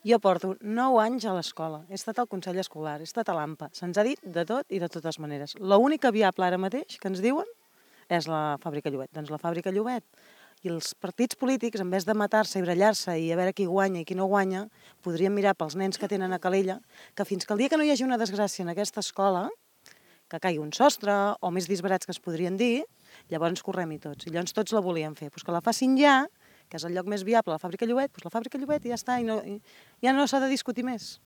Jo porto 9 anys a l'escola, he estat al Consell Escolar, he estat a l'AMPA, se'ns ha dit de tot i de totes maneres. L'única viable ara mateix que ens diuen és la fàbrica Llobet. Doncs la fàbrica Llobet i els partits polítics, en vez de matar-se i brallar-se i a veure qui guanya i qui no guanya, podrien mirar pels nens que tenen a Calella, que fins que el dia que no hi hagi una desgràcia en aquesta escola, que caigui un sostre o més disbarats que es podrien dir, llavors correm-hi tots. I llavors tots la volien fer. Pues que la facin ja, que és el lloc més viable, la fàbrica Llobet, doncs la fàbrica Llobet i ja està, ja no s'ha de discutir més.